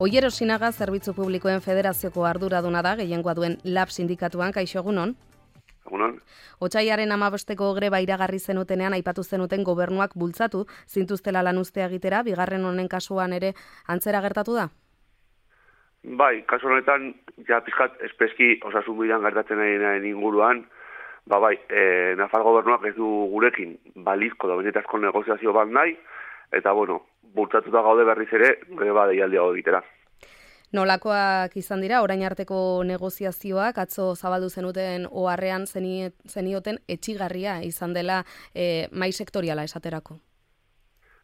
Oier Osinaga Zerbitzu Publikoen Federazioko arduraduna da, gehiengoa duen LAB sindikatuan, kaixo egunon? Egunon. Otsailaren 15ko greba iragarri zenutenean aipatu zenuten gobernuak bultzatu zintuztela lan uztea egitera, bigarren honen kasuan ere antzera gertatu da? Bai, kasu honetan, ja pizkat espeski osasun bidean gertatzen ari inguruan, Nafar gobernuak ez du gurekin balizko da benetazko negoziazio bat nahi, eta bultzatuta gaude berriz ere greba deialdia egitera. Nolakoak izan dira, orain arteko negoziazioak, atzo zabaldu zenuten oharrean zenioten etxigarria izan dela mai sektoriala esaterako?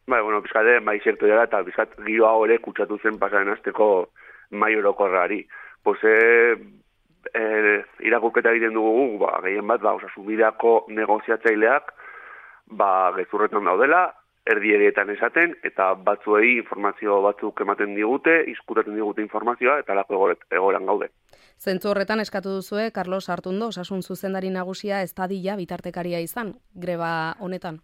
Bai, pizkate mai sektoriala eta pizkat giro hau ere kutsatu zen pasaren asteko mai orokorrari. Irakurketa egiten dugu, gehien bat, osasunbideako negoziatzaileak, gezurretan daudela, erdieretan esaten, eta batzuei informazio batzuk ematen digute, izkutaten digute informazioa, eta lako egoran gaude. Zentzu horretan eskatu duzue, Carlos Artundo, osasun zuzendari nagusia ez dadila bitartekaria izan, greba honetan?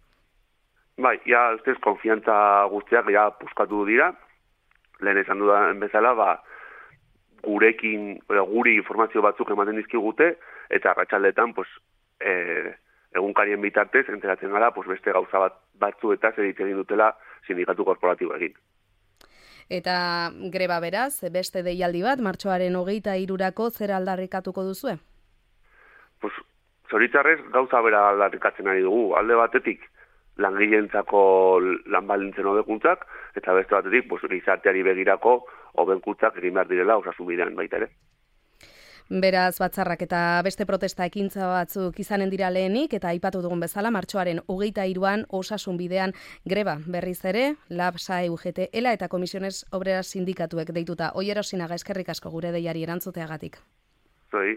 Bai, ustez, konfiantza guztiak puskatu dira, lehen esan dudan bezala, guri informazio batzuk ematen dizkigute, eta arratsaldetan, egunkarien bitartez, enteratzen gara, beste gauza batzuetaz egin dutela sindikatu korporatibo egin. Eta greba beraz, beste deialdi bat, martxoaren 23rako zer aldarrikatuko duzue? Zoritzarrez, gauza bera aldarrikatzen ari dugu. Alde batetik, langileentzako lan baldintzen hobekuntzak, eta beste batetik, gizarteari begirako hobekuntzak egin behar direla osasun bidean baita ere. Beraz, batzarrak eta beste protesta ekintza batzuk izanen dira lehenik, eta aipatu dugun bezala, martxoaren 23an osasun bidean greba berriz ere, LAB, SAE, UGT, ELA eta Comisiones Obreras sindikatuek deituta. Oier Osinaga, eskerrik asko gure deiari erantzuteagatik. Zoi.